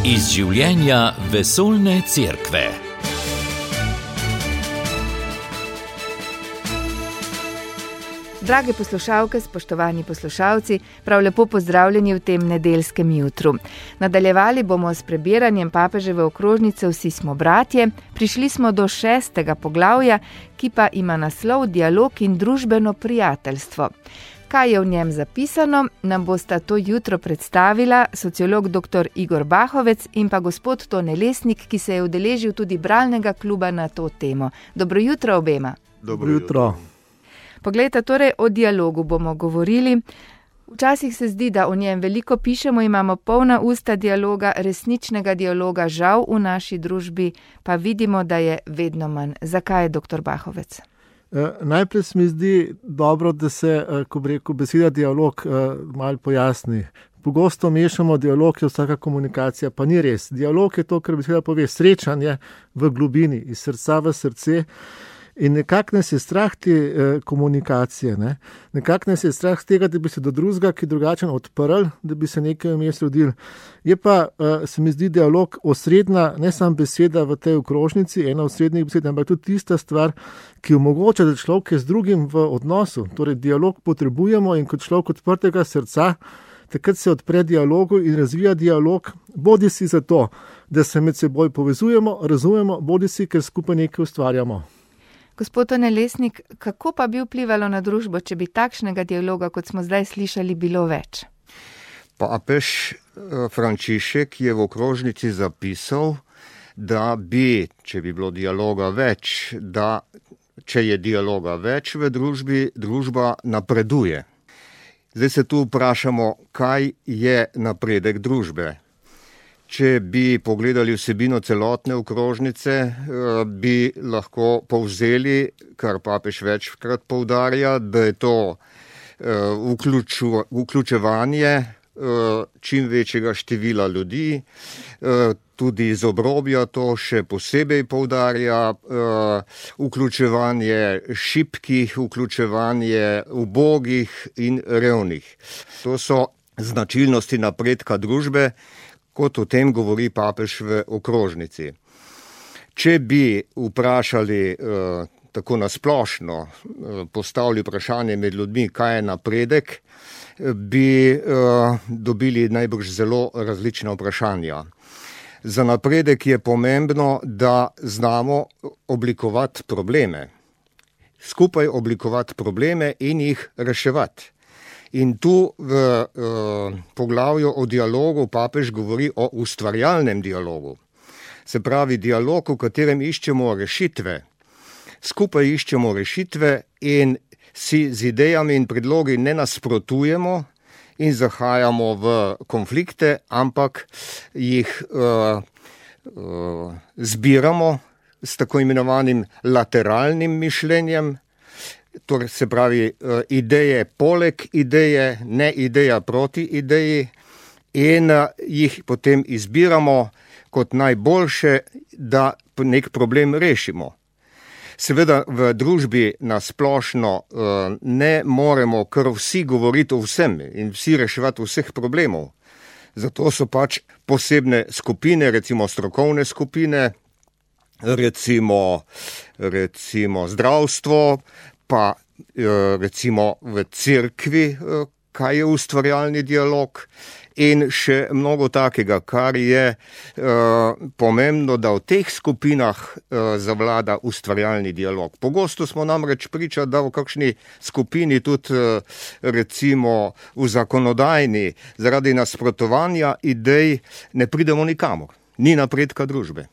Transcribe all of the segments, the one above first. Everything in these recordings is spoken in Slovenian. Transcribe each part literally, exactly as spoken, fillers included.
Iz življenja vesoljne cerkve. Drage poslušalke, spoštovani poslušalci, prav lepo pozdravljeni v tem nedeljskem jutru. Nadaljevali bomo s prebiranjem papeževe okrožnice Vsi smo bratje. Prišli smo do šestega poglavja, ki pa ima naslov Dialog in družbeno prijateljstvo. Kaj je v njem zapisano, nam bosta to jutro predstavila sociolog dr. Igor Bahovec in pa gospod Tone Lesnik, ki se je udeležil tudi bralnega kluba na to temo. Dobro jutro obema. Dobro jutro. Poglejte, torej o dialogu bomo govorili. Včasih se zdi, da o njem veliko pišemo, imamo polna usta dialoga, resničnega dialoga, žal v naši družbi pa vidimo, da je vedno manj. Zakaj je doktor Bahovec? Najprej se mi zdi dobro, da se, ko bi rekel, beseda dialog malo pojasni. Pogosto mešamo dialog, je vsaka komunikacija, pa ni res. Dialog je to, kar beseda pove, srečanje v globini, iz srca v srce. In nekako nas je strah te eh, komunikacije, ne? Nekako nas je strah tega, da bi se do drugega, ki drugačen, odprl, da bi se nekaj vmes rodil. Je pa, eh, se mi zdi, dialog osrednja, ne samo beseda v tej okrožnici, ena osrednjih besed, ampak tudi tista stvar, ki omogoča, da človek je z drugim v odnosu. Torej, dialog potrebujemo in kot človek odprtega srca, takrat se odpre dialogu in razvija dialog, bodi si za to, da se med seboj povezujemo, razumemo, bodi si, ker skupaj nekaj ustvarjamo. Gospod Tone Lesnik, kako pa bi vplivalo na družbo, če bi takšnega dialoga, kot smo zdaj slišali, bilo več? Papež Frančišek je v okrožnici zapisal, da bi, če bi bilo dialoga več, da če je dialoga več v družbi, družba napreduje. Zdaj se tu vprašamo, kaj je napredek družbe. Če bi pogledali vsebino celotne okrožnice, bi lahko povzeli, kar papež večkrat poudarja, da je to vključu, vključevanje čim večjega števila ljudi, tudi iz obrobja to še posebej poudarja, vključevanje šibkih, vključevanje ubogih in revnih. To so značilnosti napredka družbe, kot o tem govori papež v okrožnici. Če bi vprašali eh, tako nasplošno, eh, postavili vprašanje med ljudmi, kaj je napredek, bi eh, dobili najbrž zelo različna vprašanja. Za napredek je pomembno, da znamo oblikovati probleme, skupaj oblikovati probleme in jih reševati. In tu v uh, poglavju o dialogu papež govori o ustvarjalnem dialogu. Se pravi dialog, v katerem iščemo rešitve. Skupaj iščemo rešitve in si z idejami in predlogi ne nasprotujemo in zahajamo v konflikte, ampak jih uh, uh, zbiramo s tako imenovanim lateralnim mišljenjem. Torej se pravi ideje poleg ideje, ne ideja proti ideji in jih potem izbiramo kot najboljše, da nek problem rešimo. Seveda v družbi nasplošno ne moremo kar vsi govoriti o vsem in vsi reševati vseh problemov. Zato so pač posebne skupine, recimo strokovne skupine, recimo, recimo zdravstvo, pa recimo v cerkvi, kaj je ustvarjalni dialog in še mnogo takega, kar je pomembno, da v teh skupinah zavlada ustvarjalni dialog. Pogosto smo namreč priča, da v kakšni skupini tudi recimo v zakonodajni zaradi nasprotovanja idej ne pridemo nikamor. Ni napredka družbe.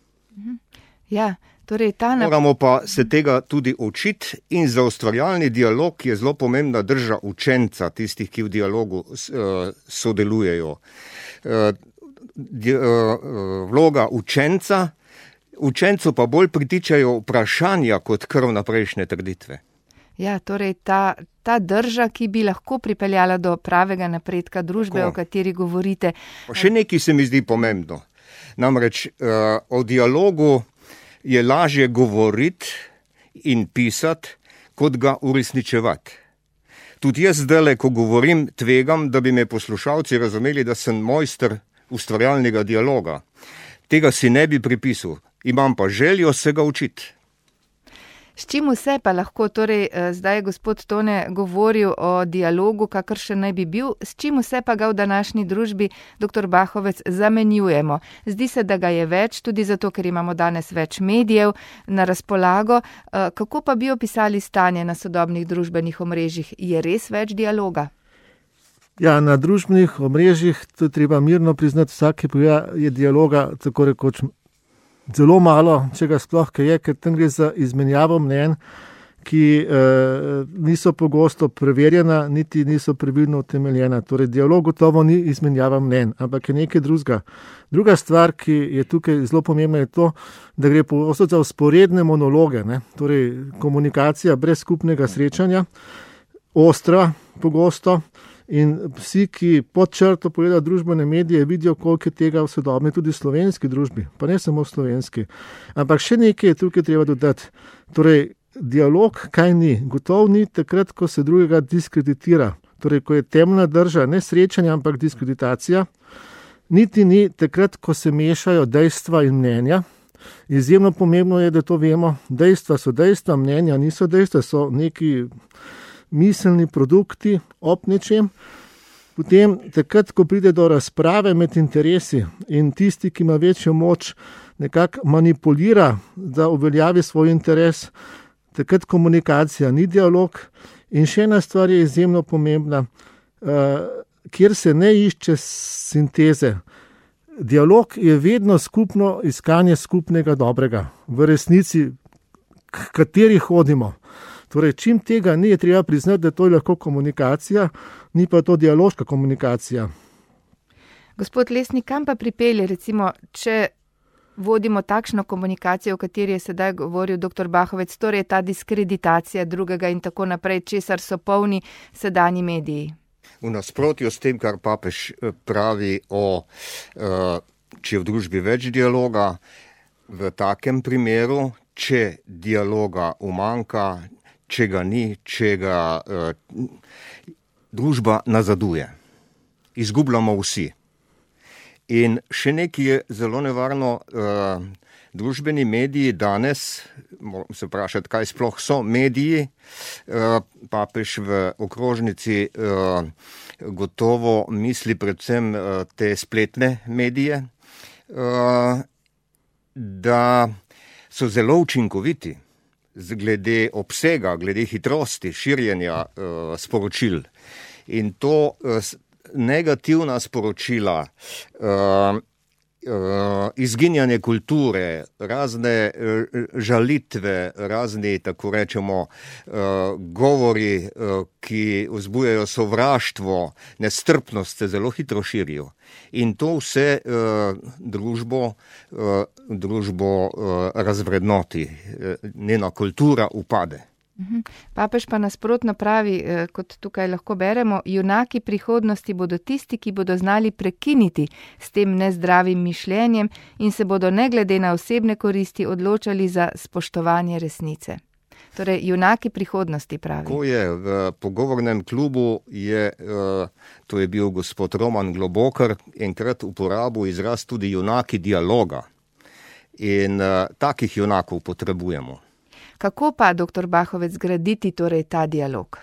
Ja. Torej, ta nap- Moramo pa se tega tudi učiti in za ustvarjalni dialog je zelo pomembna drža učenca, tistih, ki v dialogu uh, sodelujejo. Uh, di, uh, vloga učenca, učencu pa bolj pritičajo vprašanja kot kar vnaprejšnje trditve. Ja, torej ta, ta drža, ki bi lahko pripeljala do pravega napredka družbe, Tako. O kateri govorite. Pa še nekaj se mi zdi pomembno. Namreč uh, o dialogu je lažje govoriti in pisati, kot ga uresničevati. Tudi jaz zdajle, ko govorim, tvegam, da bi me poslušalci razumeli, da sem mojster ustvarjalnega dialoga. Tega si ne bi pripisal, imam pa željo se ga učiti. S čim vse pa lahko, torej zdaj je gospod Tone govoril o dialogu, kakor še naj bi bil, s čim vse pa ga v današnji družbi, doktor Bahovec, zamenjujemo? Zdi se, da ga je več, tudi zato, ker imamo danes več medijev na razpolago. Kako pa bi opisali stanje na sodobnih družbenih omrežjih? Je res več dialoga? Ja, na družbenih omrežjih, to je treba mirno priznati, vsake pogleda je dialoga tako rekoč zelo malo, če ga sploh kaj je, ker tam gre za izmenjavo mnenj, ki eh, niso pogosto preverjena, niti niso pravilno utemeljena. Torej, dialog gotovo ni izmenjava mnenj, ampak je nekaj drugega. Druga stvar, ki je tukaj zelo pomembna, je to, da gre pogosto za vzporedne monologe, ne? Torej, komunikacija brez skupnega srečanja, ostra pogosto. In vsi, ki pod črto pogledajo družbene medije, vidijo, koliko je tega v sodobni tudi slovenski družbi, pa ne samo slovenski. Ampak še nekaj je tukaj treba dodati. Torej, dialog kaj ni? Gotov ni takrat, ko se drugega diskreditira. Torej, ko je temna drža, ne srečanja, ampak diskreditacija. Niti ni takrat, ko se mešajo dejstva in mnenja. Izjemno pomembno je, da to vemo. Dejstva so dejstva, mnenja niso dejstva, so neki miselni produkti ob nečem. Potem, takrat, ko pride do razprave med interesi in tisti, ki ima večjo moč, nekako manipulira, da uveljavi svoj interes, takrat komunikacija ni dialog. In še ena stvar je izjemno pomembna, kjer se ne išče sinteze. Dialog je vedno skupno iskanje skupnega dobrega. V resnici, k kateri hodimo. Torej, čim tega ni, je treba priznati, da to je lahko komunikacija, ni pa to dialoška komunikacija. Gospod Lesnik, kam pa pripelje, recimo, če vodimo takšno komunikacijo, o kateri je sedaj govoril doktor Bahovec, torej ta diskreditacija drugega in tako naprej, česar so polni sedanji mediji? V nasprotju s tem, kar papež pravi o, če je v družbi več dialoga, v takem primeru, če dialoga umanjka, če ga ni, če ga uh, družba nazaduje. Izgubljamo vsi. In še nekaj je zelo nevarno, uh, družbeni mediji danes, moramo se vprašati, kaj sploh so mediji, uh, papež v okrožnici uh, gotovo misli predvsem uh, te spletne medije, uh, da so zelo učinkoviti, glede obsega, glede hitrosti širjenja uh, sporočil. In to uh, negativna sporočila, uh, uh, izginjanje kulture, razne uh, žalitve, razni, tako rečemo, uh, govori, uh, ki vzbujajo sovraštvo, nestrpnost, se zelo hitro širijo. In to vse uh, družbo, uh, družbo uh, razvrednoti, uh, njena kultura upade. Papež pa nasprotno pravi, kot tukaj lahko beremo, junaki prihodnosti bodo tisti, ki bodo znali prekiniti s tem nezdravim mišljenjem in se bodo ne glede na osebne koristi odločali za spoštovanje resnice. Torej, junaki prihodnosti pravi. Ko je v pogovornem klubu, je, to je bil gospod Roman Globokar, enkrat uporabil izraz tudi junaki dialoga. In takih junakov potrebujemo. Kako pa, doktor Bahovec, graditi torej ta dialog?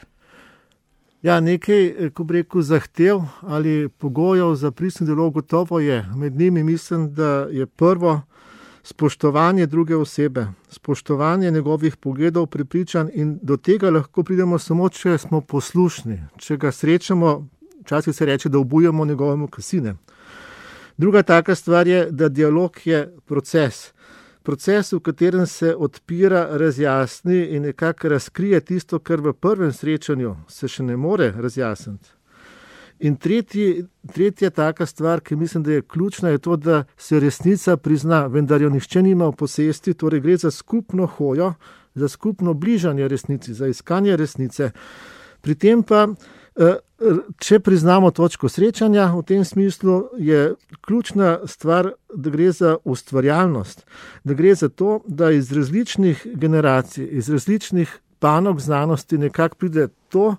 Ja, nekaj, ko bi rekel, zahtev ali pogojev za pristni dialog gotovo je. Med njimi mislim, da je prvo spoštovanje druge osebe, spoštovanje njegovih pogledov, prepričanj in do tega lahko pridemo samo, če smo poslušni. Če ga srečamo, včasih se reče, da obujamo njegovemu kasine. Druga taka stvar je, da dialog je proces. Proces, v katerem se odpira, razjasni in nekako razkrije tisto, kar v prvem srečanju se še ne more razjasniti. In tretji, tretja taka stvar, ki mislim, da je ključna, je to, da se resnica prizna, vendar jo nihče nima v posesti, torej gre za skupno hojo, za skupno bližanje resnici, za iskanje resnice. Pri tem pa, če priznamo točko srečanja, v tem smislu je ključna stvar, da gre za ustvarjalnost, da gre za to, da iz različnih generacij, iz različnih panog znanosti nekako pride to,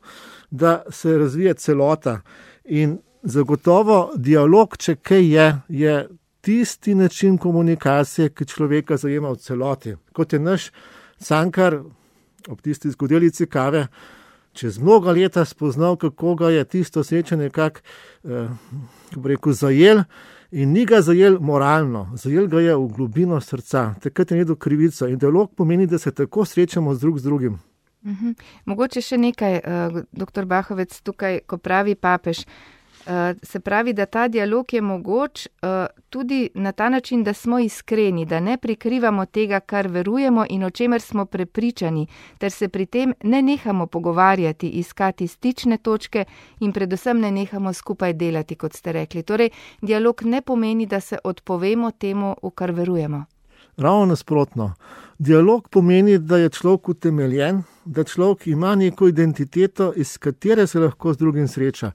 da se razvije celota. In Zagotovo dialog, če kaj je, je tisti način komunikacije, ki človeka zajema v celoti. Kot je naš Cankar ob tisti zgodelici kave čez mnoga leta spoznal, kako ga je tisto srečanje kak, eh, kako bi rekel, zajel, in ni ga zajel moralno, zajel ga je v globino srca, takrat je nedel krivico. In dialog pomeni, da se tako srečamo z drug z drugim. Uhum. Mogoče še nekaj, uh, doktor Bahovec, tukaj, ko pravi papež, uh, se pravi, da ta dialog je mogoč uh, tudi na ta način, da smo iskreni, da ne prikrivamo tega, kar verujemo in o čemer smo prepričani, ter se pri tem ne nehamo pogovarjati, iskati stične točke in predvsem ne nehamo skupaj delati, kot ste rekli. Torej, dialog ne pomeni, da se odpovemo temu, v kar verujemo. Ravno nasprotno. Dialog pomeni, da je človek utemeljen, da človek ima neko identiteto, iz katere se lahko z drugim sreča.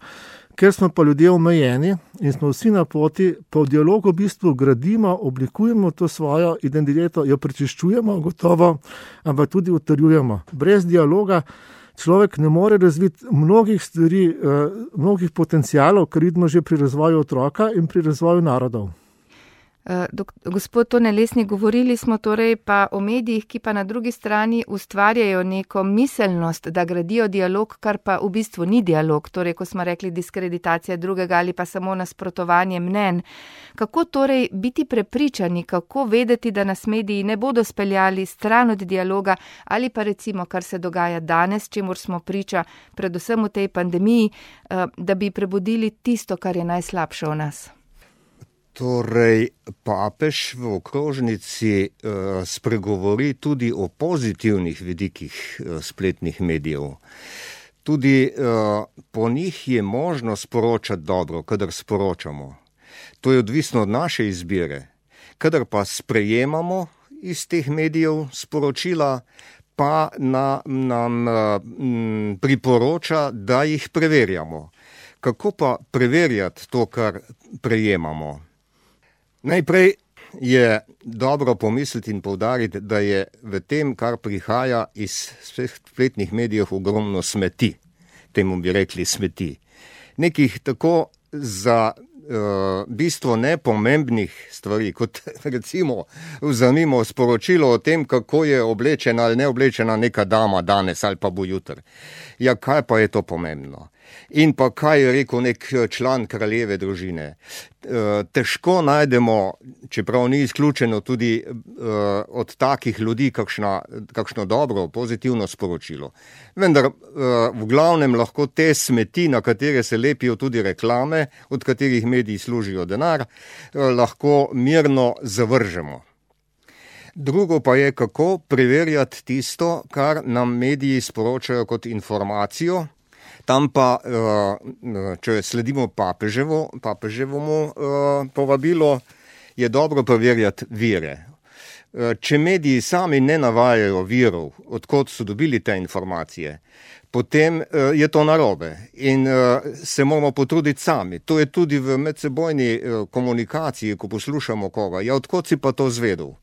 Ker smo pa ljudje omejeni in smo vsi na poti, pa v dialogu v bistvu gradimo, oblikujemo to svojo identiteto, jo prečiščujemo, gotovo, ampak tudi utrjujemo. Brez dialoga človek ne more razviti mnogih stvari, mnogih potencialov, kar vidimo že pri razvoju otroka in pri razvoju narodov. Gospod Tone Lesnik, govorili smo torej pa o medijih, ki pa na drugi strani ustvarjajo neko miselnost, da gradijo dialog, kar pa v bistvu ni dialog, torej ko smo rekli diskreditacija drugega ali pa samo nasprotovanje mnenj. Kako torej biti prepričani, kako vedeti, da nas mediji ne bodo speljali stran od dialoga ali pa recimo, kar se dogaja danes, čemur smo priča predvsem v tej pandemiji, da bi prebudili tisto, kar je najslabše v nas? Torej, papež v okrožnici uh, spregovori tudi o pozitivnih vidikih uh, spletnih medijev. Tudi uh, po njih je možno sporočati dobro, kadar sporočamo. To je odvisno od naše izbire. Kadar pa sprejemamo iz teh medijev sporočila, pa na, nam uh, m, priporoča, da jih preverjamo. Kako pa preverjati to, kar prejemamo? Najprej je dobro pomisliti in poudariti, da je v tem, kar prihaja iz spletnih medijev, ogromno smeti. Temu bi rekli smeti. Nekih tako za uh, bistvo nepomembnih stvari, kot recimo vzamimo sporočilo o tem, kako je oblečena ali ne oblečena neka dama danes ali pa bo jutri. Ja, kaj pa je to pomembno? In pa kaj je rekel nek član kraljeve družine. Težko najdemo, čeprav ni izključeno tudi od takih ljudi kakšna, kakšno dobro, pozitivno sporočilo. Vendar v glavnem lahko te smeti, na katere se lepijo tudi reklame, od katerih mediji služijo denar, lahko mirno zavržemo. Drugo pa je, kako preverjati tisto, kar nam mediji sporočajo kot informacijo. Tam pa, če sledimo papeževo, papeževomu povabilo, je dobro preverjati vire. Če mediji sami ne navajajo virov, odkot so dobili te informacije, potem je to narobe in se moramo potruditi sami. To je tudi v medsebojni komunikaciji, ko poslušamo koga. Ja, odkot si pa to zvedel?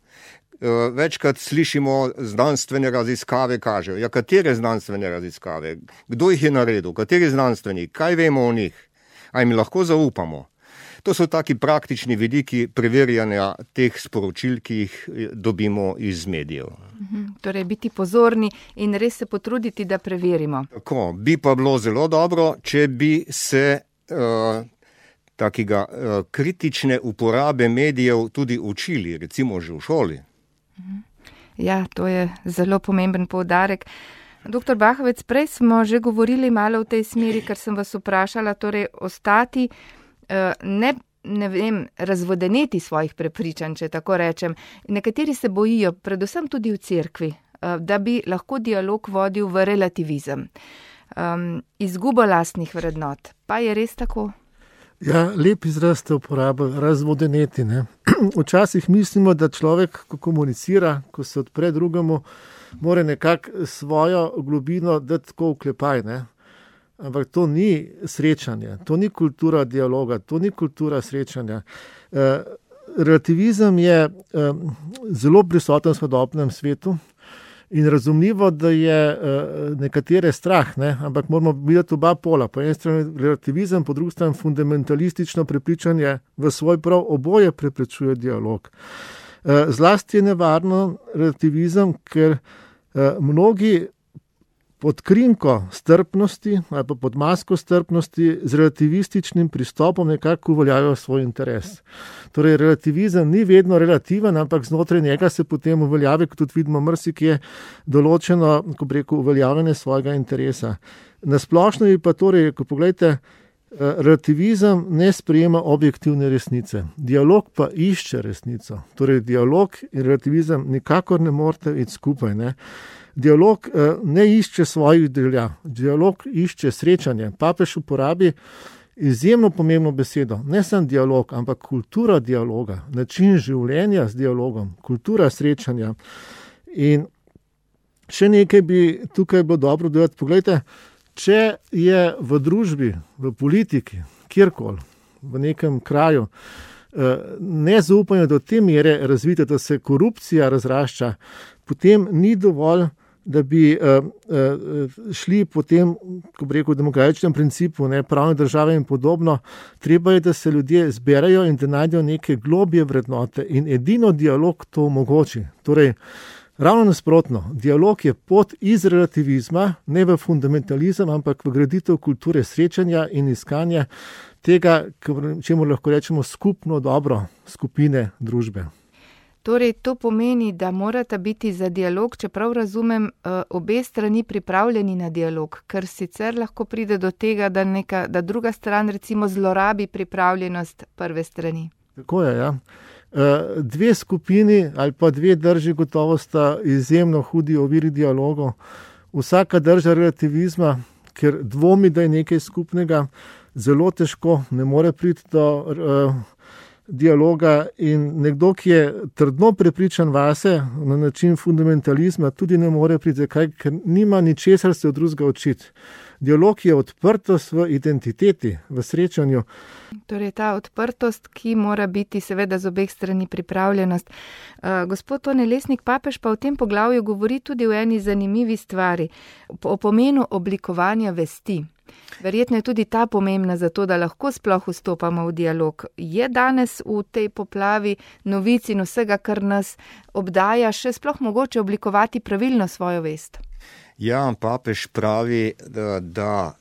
Večkrat slišimo, znanstvene raziskave kažejo. Ja, katere znanstvene raziskave? Kdo jih je naredil? Kateri znanstvenik? Kaj vemo o njih? A jim lahko zaupamo? To so taki praktični vidiki preverjanja teh sporočil, ki jih dobimo iz medijev. Torej, biti pozorni in res se potruditi, da preverimo. Tako, bi pa bilo zelo dobro, če bi se uh, takega uh, kritične uporabe medijev tudi učili, recimo že v šoli. Ja, to je zelo pomemben poudarek. Doktor Bahovec, prej smo že govorili malo v tej smeri, ker sem vas vprašala, torej ostati, ne, ne vem, razvodeneti svojih prepričanj, če tako rečem. Nekateri se bojijo, predvsem tudi v cerkvi, da bi lahko dialog vodil v relativizem. Um, izgubo lastnih vrednot. Pa je res tako? Ja, lep izraz ste uporabili, razvodeneti. Ne? Včasih mislimo, da človek, ko komunicira, ko se odpre drugemu, mora nekako svojo globino dati tako vklepaj. Ne? Ampak to ni srečanje, to ni kultura dialoga, to ni kultura srečanja. Relativizem je zelo prisoten v sodobnem svetu In razumljivo, da je nekatere strah, ne? Ampak moramo videti oba pola. Po eni strani relativizem, po drugi strani fundamentalistično prepričanje v svoj prav, oboje preprečuje dialog. Zlasti je nevarno relativizem, ker mnogi pod krinko strpnosti ali pa pod masko strpnosti z relativističnim pristopom nekako uveljavljajo svoj interes. Torej, relativizem ni vedno relativen, ampak znotraj njega se potem uveljavi, kot tudi vidimo, marsikje določeno, ko bi rekel, uveljavljanje svojega interesa. Nasplošno je pa torej, ko pogledate, relativizem ne sprejema objektivne resnice. Dialog pa išče resnico. Torej, dialog in relativizem nikakor ne morete iti skupaj, ne. Dialog ne išče svojih želja, dialog išče srečanje. Papež uporabi izjemno pomembno besedo, ne samo dialog, ampak kultura dialoga, način življenja z dialogom, kultura srečanja. In še nekaj bi tukaj bilo dobro dodati. Poglejte, če je v družbi, v politiki, kjerkoli, v nekem kraju, nezaupanje do te mere razvite, da se korupcija razrašča, potem ni dovolj, da bi uh, uh, šli po tem, ko bi rekel, demokratičnem principu, ne, pravne države in podobno. Treba je, da se ljudje zberajo in da najdejo neke globje vrednote in edino dialog to omogoči. Torej, ravno nasprotno, dialog je pot iz relativizma, ne v fundamentalizem, ampak v graditev kulture srečanja in iskanja tega, čemu lahko rečemo skupno dobro skupine družbe. Torej, to pomeni, da morata biti za dialog, čeprav razumem, obe strani pripravljeni na dialog, ker sicer lahko pride do tega, da, neka, da druga stran recimo zlorabi pripravljenost prve strani. Tako je, ja. Dve skupini ali pa dve drži gotovo sta izjemno hudi oviri dialogov. Vsaka drža relativizma, ker dvomi, da je nekaj skupnega, zelo težko, ne more priti do uh, dialoga, in nekdo, ki je trdno prepričan vase na način fundamentalizma, tudi ne more priti, zakaj, ker nima ničesar se od drugega učiti. Dialog je odprtost v identiteti, v srečanju. Torej ta odprtost, ki mora biti seveda z obeh strani pripravljenost. Uh, gospod Tone Lesnik, papež pa v tem poglavju govori tudi o eni zanimivi stvari, o pomenu oblikovanja vesti. Verjetno je tudi ta pomembna za to, da lahko sploh vstopamo v dialog. Je danes v tej poplavi novic in vsega, kar nas obdaja, še sploh mogoče oblikovati pravilno svojo vest? Ja, papež pravi, da, da,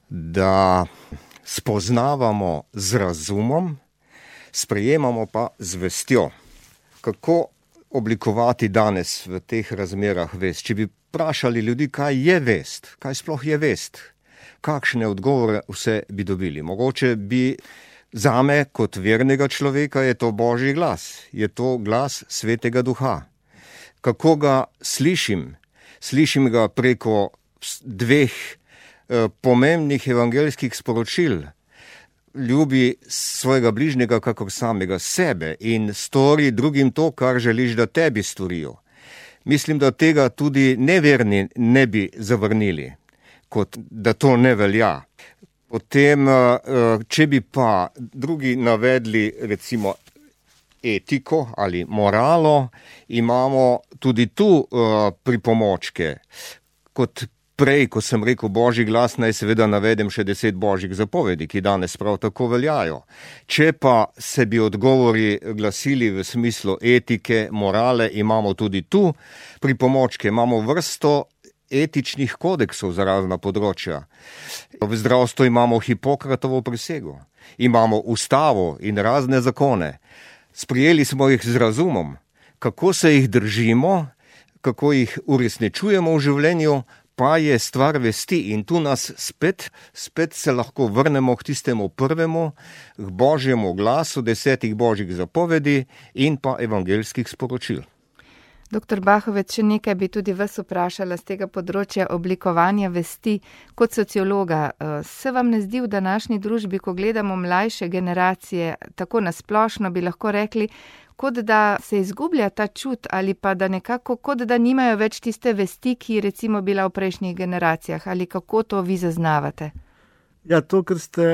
da spoznavamo z razumom, sprejemamo pa z vestjo. Kako oblikovati danes v teh razmerah vest? Če bi vprašali ljudi, kaj je vest, kaj sploh je vest, kakšne odgovore vse bi dobili. Mogoče bi zame kot vernega človeka je to Božji glas, je to glas Svetega Duha. Kako ga slišim? Slišim ga preko dveh eh, pomembnih evangeljskih sporočil. Ljubi svojega bližnjega kakor samega sebe in stori drugim to, kar želiš, da tebi storijo. Mislim, da tega tudi neverni ne bi zavrnili, kot da to ne velja. Potem, če bi pa drugi navedli recimo etiko ali moralo, imamo tudi tu pripomočke. Kot prej, ko sem rekel Božji glas, naj seveda navedem še deset božjih zapovedi, ki danes prav tako veljajo. Če pa se bi odgovori glasili v smislu etike, morale, imamo tudi tu pripomočke, imamo vrsto etičnih kodeksov za razna področja. V zdravstvu imamo Hipokratovo prisego, imamo ustavo in razne zakone. Sprijeli smo jih z razumom, kako se jih držimo, kako jih uresničujemo v življenju, pa je stvar vesti, in tu nas spet, spet se lahko vrnemo k tistemu prvemu, k Božjemu glasu, desetih božjih zapovedi in pa evangeljskih sporočil. Doktor Bahovec, še nekaj bi tudi vas vprašala z tega področja oblikovanja vesti kot sociologa. Se vam ne zdi v današnji družbi, ko gledamo mlajše generacije, tako nasplošno bi lahko rekli, kot da se izgublja ta čut ali pa da nekako, kot da nimajo več tiste vesti, ki je recimo bila v prejšnjih generacijah, ali kako to vi zaznavate? Ja, to, kar ste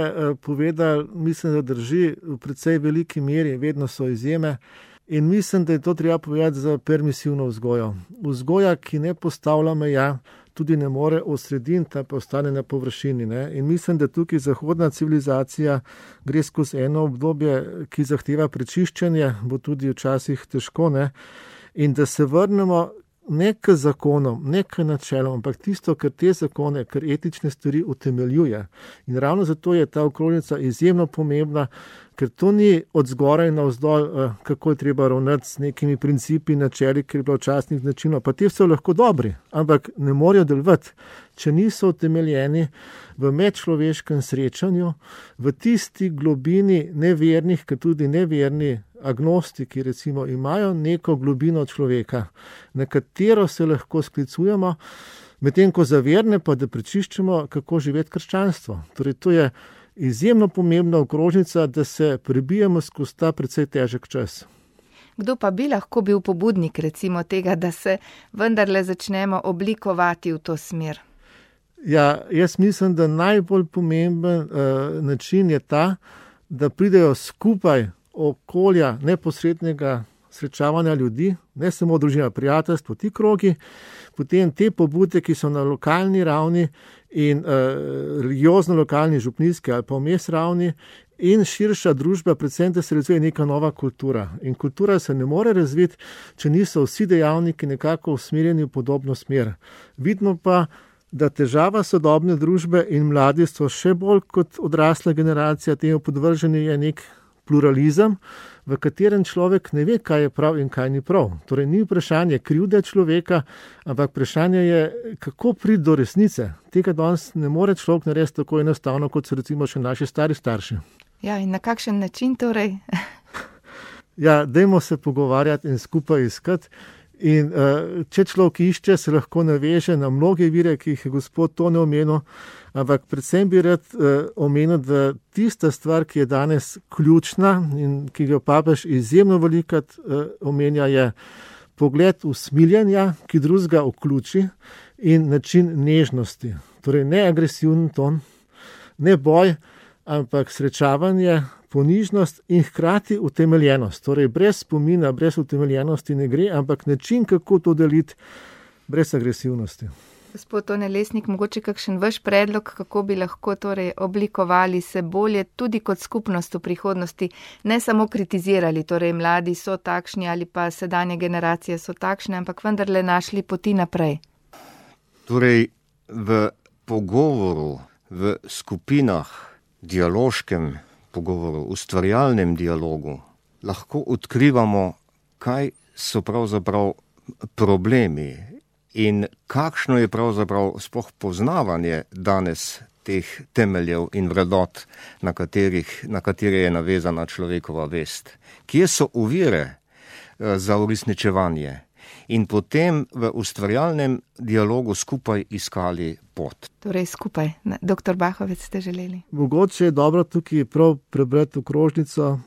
povedali, mislim, da drži v precej veliki meri, vedno so izjeme. In mislim, da je to treba povedati za permisivno vzgojo. Vzgoja, ki ne postavlja meja, tudi ne more osrediniti, pa ostane na površini. Ne? In mislim, da tukaj zahodna civilizacija gre skozi eno obdobje, ki zahteva prečiščenje, bo tudi včasih težko, ne? In da se vrnemo ne k zakonom, ne k načelom, ampak tisto, kar te zakone, kar etične stvari utemeljuje. In ravno zato je ta okrožnica izjemno pomembna, ker to ni od zgoraj navzdol, kako je treba ravnati s nekimi principi, načeli, ker je bilo včasnih načinov. Pa te so lahko dobri, ampak ne morejo delovati, če niso utemeljeni v medčloveškem srečanju, v tisti globini nevernih, ker tudi neverni agnostiki recimo imajo neko globino človeka, na katero se lahko sklicujemo, medtem ko za verne pa da prečiščemo, kako živeti krščanstvo. Torej, to je izjemno pomembna okrožnica, da se prebijemo skozi ta precej težek čas. Kdo pa bi lahko bil pobudnik recimo tega, da se vendarle začnemo oblikovati v to smer? Ja, jaz mislim, da najbolj pomemben uh, način je ta, da pridejo skupaj okolja neposrednega srečavanja ljudi, ne samo družina, prijateljstvo, ti krogi, potem te pobude, ki so na lokalni ravni in uh, religiozno lokalni, župnijski ali pa vmes ravni in širša družba, predvsem, da se razvije neka nova kultura. In kultura se ne more razviti, če niso vsi dejavniki nekako usmerjeni v podobno smer. Vidimo pa, da težava sodobne družbe in mladi so še bolj kot odrasla generacija temu podvrženi je nek pluralizem, v katerem človek ne ve, kaj je prav in kaj ni prav. Torej, ni vprašanje krivde človeka, ampak vprašanje je, kako priti do resnice. Tega danes ne more človek narediti tako enostavno, kot so recimo še naši stari starši. Ja, in na kakšen način torej? Ja, dajmo se pogovarjati in skupaj iskati. In uh, če človek išče, se lahko naveže na mnoge vire, ki jih je gospod Tone omenil, ampak predvsem bi rad uh, omenil, da tista stvar, ki je danes ključna in ki ga papež izjemno velikokrat uh, omenja, je pogled usmiljanja, ki drugega vključi in način nežnosti. Torej ne agresivni ton, ne boj, ampak srečavanje, ponižnost in hkrati utemeljenost. Torej, brez spomina, brez utemeljenosti ne gre, ampak način, kako to deliti, brez agresivnosti. Gospod Tone Lesnik, mogoče kakšen vaš predlog, kako bi lahko torej oblikovali se bolje tudi kot skupnost v prihodnosti, ne samo kritizirali, torej mladi so takšni ali pa sedanje generacije so takšne, ampak vendarle našli poti naprej. Torej, v pogovoru, v skupinah, dialoškem pogovoru, ustvarjalnem dialogu, lahko odkrivamo, kaj so pravzaprav problemi in kakšno je pravzaprav sploh poznavanje danes teh temeljev in vrednot, na katerih, na katere je navezana človekova vest. Kje so ovire za uresničevanje? In potem v ustvarjalnem dialogu skupaj iskali pot. Torej skupaj. Doktor Bahovec, ste želeli? Mogoče je dobro tukaj prav prebrati okrožnico.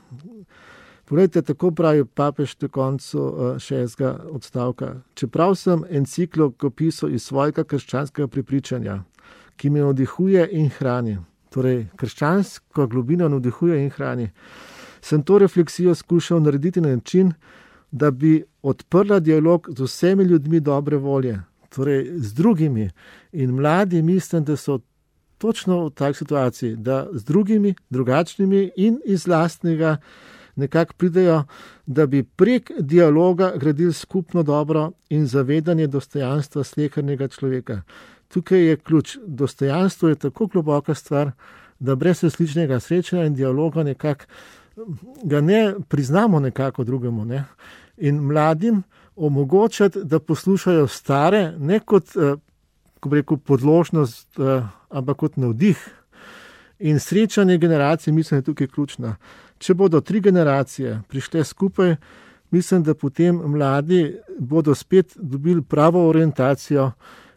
Poglejte, tako pravi papež do koncu šestega odstavka. Čeprav sem enciklok opisal iz svojega krščanskega prepričanja, ki me navdihuje in hrani, torej krščansko globino navdihuje in hrani, sem to refleksijo skušal narediti na način, da bi odprla dialog z vsemi ljudmi dobre volje, torej z drugimi. In mladi mislim, da so točno v tak situaciji, da z drugimi, drugačnimi in iz lastnega nekako pridejo, da bi prek dialoga gradili skupno dobro in zavedanje dostojanstva slehernega človeka. Tukaj je ključ. Dostojanstvo je tako globoka stvar, da brez resničnega srečanja in dialoga nekako ga ne priznamo nekako drugemu. Ne? In mladim omogočati, da poslušajo stare, ne kot, ko bi rekel, podložnost, ampak kot navdih. In srečanje generacij, mislim, je tukaj ključna. Če bodo tri generacije prišle skupaj, mislim, da potem mladi bodo spet dobili pravo orientacijo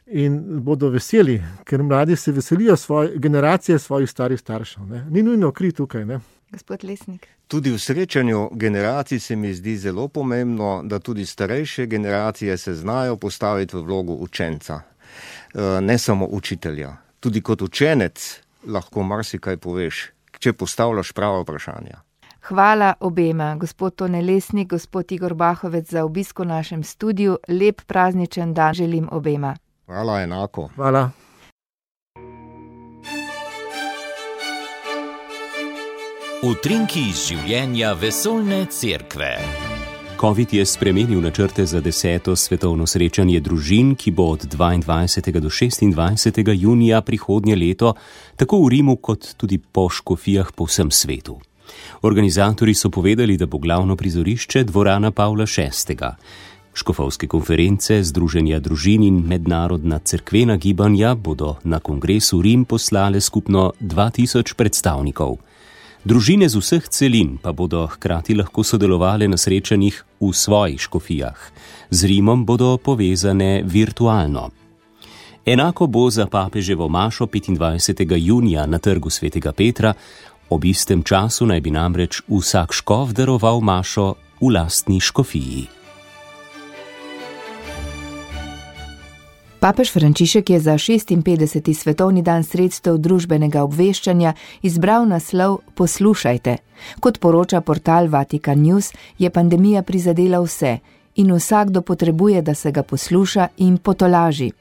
in bodo veseli, ker mladi se veselijo svoje, generacije svojih starih staršev. Ne? Ni nujno kri tukaj, ne? Gospod Lesnik. Tudi v srečanju generacij se mi zdi zelo pomembno, da tudi starejše generacije se znajo postaviti v vlogo učenca, ne samo učitelja. Tudi kot učenec lahko marsikaj poveš, če postavljaš prava vprašanja. Hvala obema, gospod Tone Lesnik, gospod Igor Bahovec, za obisk v našem studiu. Lep prazničen dan želim obema. Hvala, enako. Hvala. Utrinki iz življenja vesoljne cerkve. Covid je spremenil načrte za deseto svetovno srečanje družin, ki bo od dvaindvajsetega do šestindvajsetega junija prihodnje leto, tako v Rimu kot tudi po škofijah po vsem svetu. Organizatorji so povedali, da bo glavno prizorišče dvorana Pavla šestega. Škofovske konference, Združenja družin in mednarodna cerkvena gibanja bodo na kongresu Rim poslale skupno dva tisoč predstavnikov. Družine z vseh celin pa bodo hkrati lahko sodelovale na srečanjih v svojih škofijah. Z Rimom bodo povezane virtualno. Enako bo za papeževo mašo petindvajsetega junija na trgu svetega Petra, ob istem času naj bi namreč vsak škof daroval mašo v lastni škofiji. Papež Frančišek je za šestinpetdeseti svetovni dan sredstev družbenega obveščanja izbral naslov Poslušajte. Kot poroča portal Vatikan News, je pandemija prizadela vse in vsakdo potrebuje, da se ga posluša in potolaži.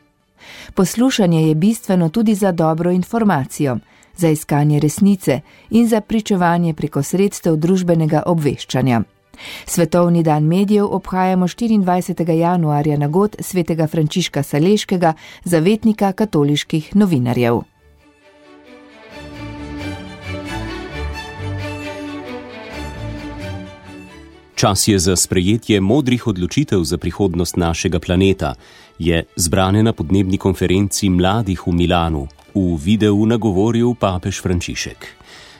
Poslušanje je bistveno tudi za dobro informacijo, za iskanje resnice in za pričevanje preko sredstev družbenega obveščanja. Svetovni dan medijev obhajamo štiriindvajsetega januarja na god svetega Frančiška Saleškega, zavetnika katoliških novinarjev. Čas je za sprejetje modrih odločitev za prihodnost našega planeta, je zbrane na podnebni konferenci mladih v Milanu v videu nagovoril papež Frančišek.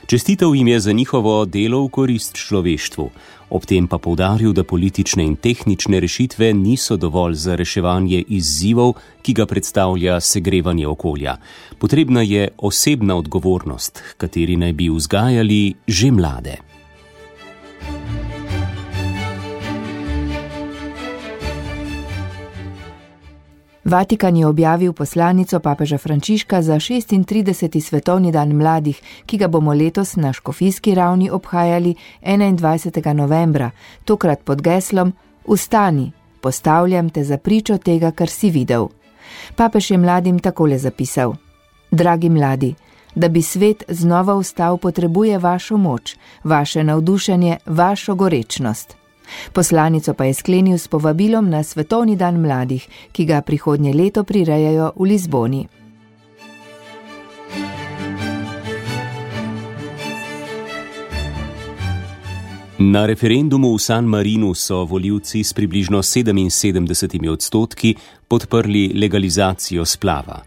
Čestitev jim je za njihovo delo v korist človeštvu, ob tem pa poudaril, da politične in tehnične rešitve niso dovolj za reševanje izzivov, ki ga predstavlja segrevanje okolja. Potrebna je osebna odgovornost, kateri naj bi vzgajali že mlade. Vatikan je objavil poslanico papeža Frančiška za šestintrideseti svetovni dan mladih, ki ga bomo letos na škofijski ravni obhajali enaindvajsetega novembra, tokrat pod geslom Vstani, postavljam te za pričo tega, kar si videl. Papež je mladim takole zapisal: Dragi mladi, da bi svet znova vstal, potrebuje vašo moč, vaše navdušenje, vašo gorečnost. Poslanico pa je sklenil s povabilom na svetovni dan mladih, ki ga prihodnje leto prirejajo v Lizboni. Na referendumu v San Marinu so volivci s približno sedeminsedemdesetimi odstotki podprli legalizacijo splava.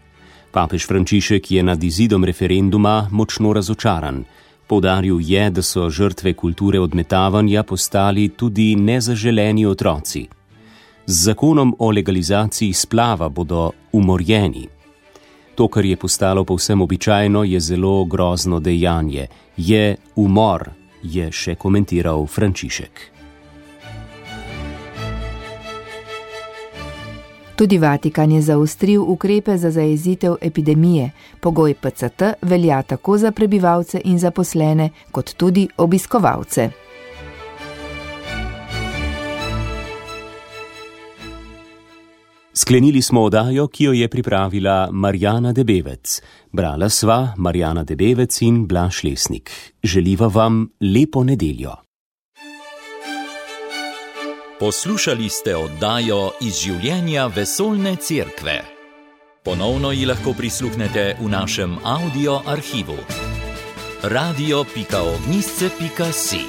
Papež Frančišek je nad izidom referenduma močno razočaran. Poudaril je, da so žrtve kulture odmetavanja postali tudi nezaželeni otroci. Z zakonom o legalizaciji splava bodo umorjeni. To, kar je postalo povsem običajno, je zelo grozno dejanje. Je umor, je še komentiral Frančišek. Tudi Vatikan je zaostril ukrepe za zajezitev epidemije. Pogoj P C T velja tako za prebivalce in zaposlene, kot tudi obiskovalce. Sklenili smo oddajo, ki jo je pripravila Marjana Debevec. Brala sva Marjana Debevec in Blaž Lesnik. Želiva vam lepo nedeljo. Poslušali ste oddajo iz življenja vesoljne cerkve. Ponovno ji lahko prisluhnete v našem audio arhivu. radio pika ognjišče pika si